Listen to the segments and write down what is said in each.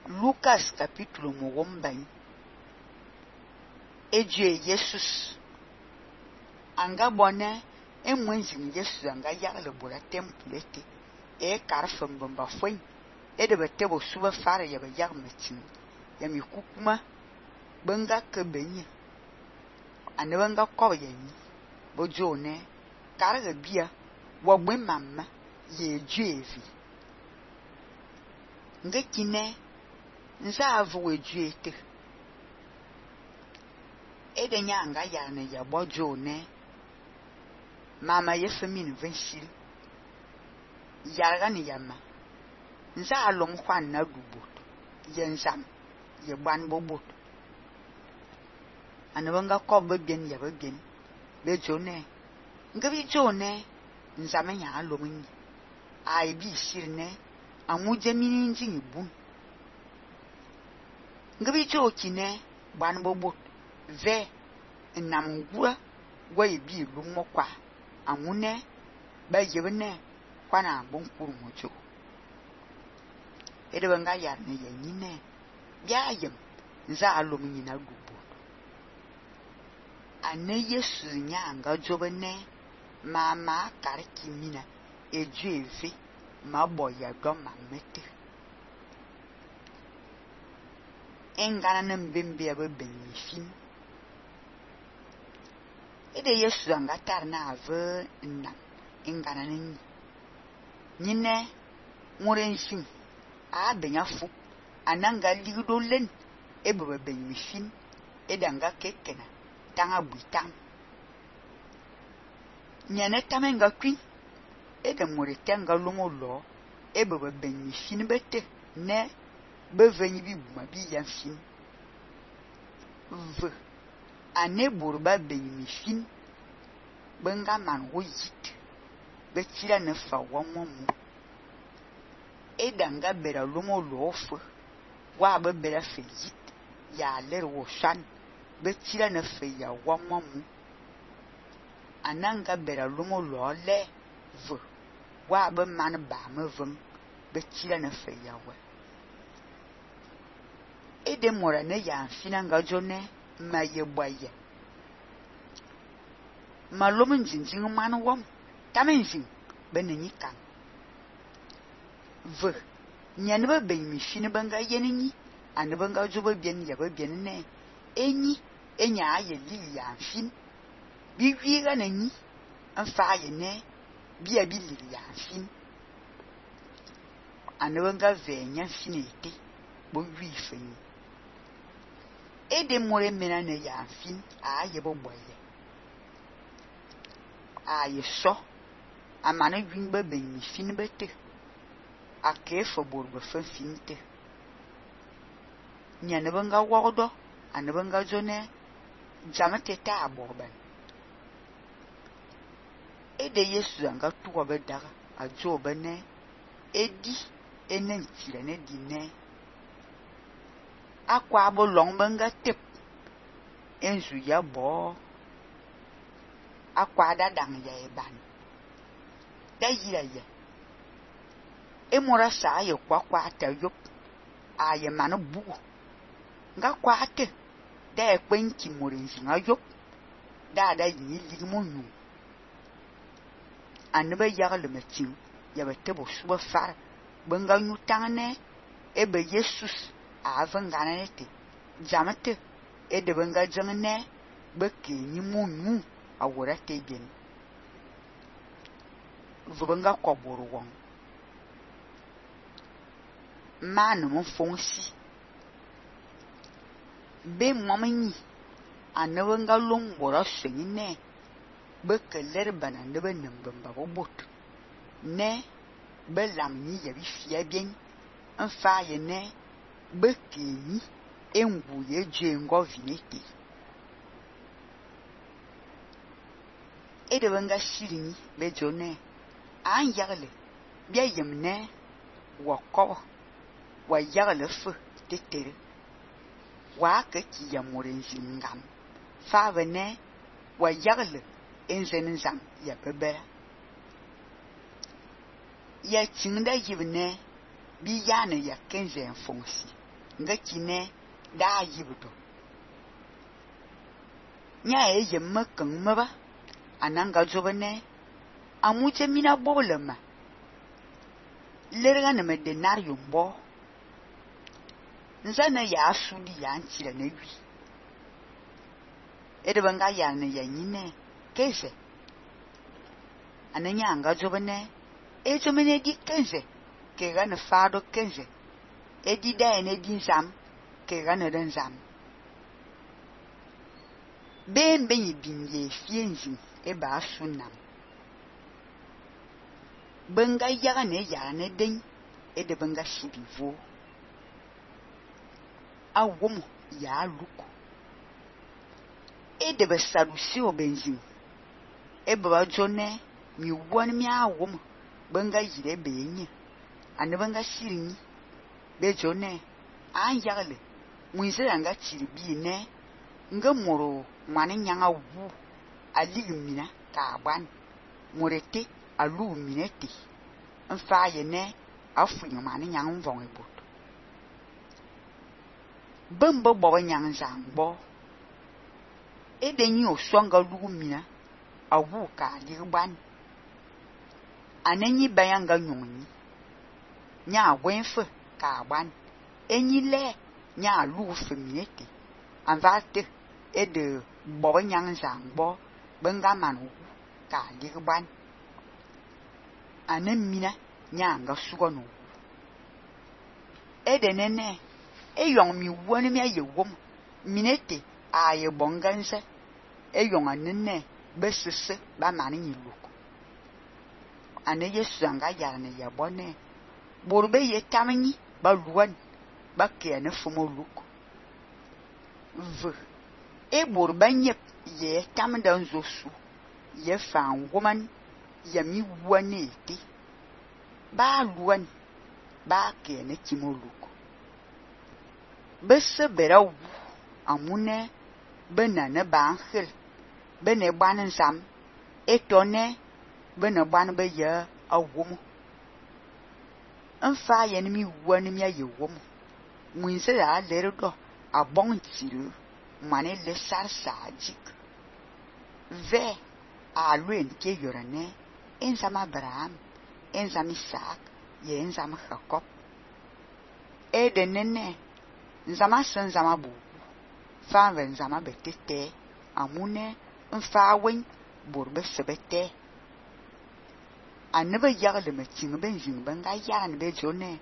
Lucas capítulo mogombain. Ejue Jesus. Anga bonne enwenjing Jesus anga yagle bora temple ete. E karfem bomba foi. E de betebo suba fare ya yag metin. Ya mi kukuma benga kebenye. Ane benga kobe yenyi. Bojo ne karga bia wa gbe mamma ye juevi. Ngekine nza avu ejuete. Ede nyanga yane ya bojo ne mama ye femin vensil. Yarga ni yama. Nza alom kwan na dubot. Yenzam ye ban bobot. Anabanga kobe bien ya bien. Bejo ne. Ngabi jo ne nzame nya alom ni. Ai bi sir ne amuje mini njing bun. Ngabi jo kine ban bobot. Ve namgura gwa ibi lumo kwa amune ba yebne kwana bonkuru mojo. Ede banga yarne yenyine bia yem nza alom nyina dubo. Ane Yesu nyanga jobene mama kariki mina ejueve maboya do mamete. Engana nembembe abebenifin. Ede Yesu anga tarna ave nam engana nini. Nyine murensin a benya fu ananga ligdo len ebebe benifin edanga kekena tanga buitang. Nyane tamenga kwin ede muretenga longo lo ebebe benifin bete ne beveni bi buma bi yanfin. V ane burba benifin benga man woyit betira ne fa wamomu. Edanga bera longo lo ofu wa bebera fejit ya ler wo shan betira ne fe ya wamomu. Ananga bera longo lo le v wa be man ba me veng betira ne fe ya wa. Ede mora ne ya finanga jone ma ye boye. Malom njinjing man wom tamenjing benenyi kan. V nyane ba benyi fine banga yenenyi ane banga joba bien ya ba bien ne enyi enya aye li ya fin bi wiga nanyi anfa ye ne bia bi li ya fin ane banga venya finete bo wi fenyi. Ede more mena ne ya fin aye bo boye. Aye so amane gwin ba benyi fine bete. Ake fo borgo fe finte. Nyane benga wodo ane benga jone jamete ta aborban. Ede Yesu anga tuwa bedaga ajo bene edi enen tire ne dine. Akwa abo long benga tep enzu ya bo. Akwa dadang ya eban. Da yira ya. Emora sa ye kwa ta yop aye manu bugu nga kwa ate da ekwenki morenzi nga yop da yi ligmo nyu anbe yagle metin ya betebo suba far benga nyu tangane ebe Jesus avanga nete jamate ede benga jangane beke ni munyu awora te bien vubenga koboru won manu mon fonsi be momini anawenga longbora senyine be keler bana ne be nembamba bobot ne be lamni ya bi fia bien enfa ye ne be keni engu ye jengo vinete ede benga shirini be jone an yagle bia yemne wakobo wa yagle fu tetere wa ka ki ya morenzi ngam fa bene wa yagle enzen zam ya bebera ya chinda yibne bi yana ya kenzen fonsi nga kine da yibudo nya yemme kan maba ananga jobane amuje mina boblema lerga ne me denario mbo nzana ya sudi ya ntira na wi edebanga ya ne ya nyine keze ananya anga jobane ejomene di kenze ke ga ne fado kenze edi da ne di nzam ke ga ne nzam ben binye fienzi e ba sunam benga yaga ne ya ne den e de benga sibivo awomo ya luko e de be sadusi o benzin e ba jone mi won mi awomo benga yire benye ane benga sirinyi be jone an yagle muize anga chiribi ne nga moro mane nyanga wu aligmina ka ban morete alu minete nfa ye ne afu mane nyang vong ebot bembo bo nyang zangbo edenyi osonga lu mina awu ka ligban anenyi bayanga nyonyi nya wenfe ka ban enyi le nya lu feminete anvate ede bobo nyang zangbo benga manu ka ligban anemina nyanga sugono ede nene eyong mi woni mi ayewom minete aye bonganse eyong anene besese ba mani nyiluko ane yesu anga yarne yabone borbe yetamni ba luwan ba kene fumo luko v e borba nyep ye tamda nzosu ye fan woman yami wanete ba luwan ba kene kimoluko bese berawu amune benane bankhel bene ban nsam etone bene ban be ye awomo nfa ye ni mi wani mi ayewomo muinse la leredo abon tiru mane le sarsa jik ve a luen ke yorane enzama Abraham enzama Isaac ye enzama Jacob edenene nzama senzama bu fa nzama betete amune nfa wen borbe sebete anebe yagle me tinga benjing benga yagne be jone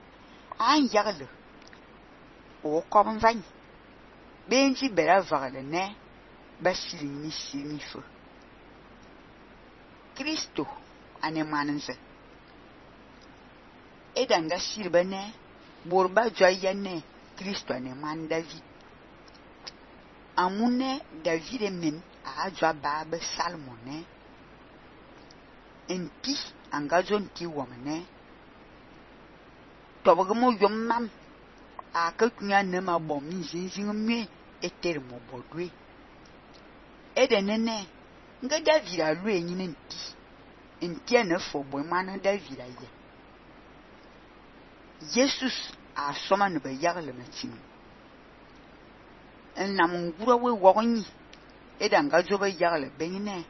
an yagle o kom van benji bera vagle ne basili ni simifu Kristo ane manense edanga sirbane borba joyene Kristo ane man David amune David men a jwa babe salmone enti angajon ti womne tobogmo yommam a kakunya ne ma bom zinzin me eter mo bodwe edenene nga David alu enyine enti ene fo boy man David aye Jesus a soma ne be yagle metim enam ngura we wogonyi edanga jobe yagle benine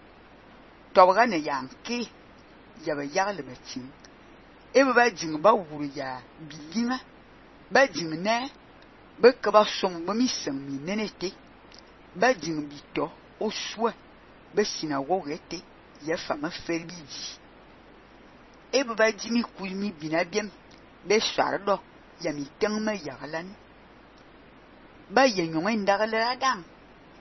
toboga ne yanke yaba yagle metim ebe ba jing ba wuru ya bilinga ba jing ne be ka ba som ba mi sem mi nenete ba jing bito oswa be sinagogue ete ya fama ferbiji ebe ba jimi kulmi binabiem be shardo ya mi tengma yaglan ba yenyong ndagle adam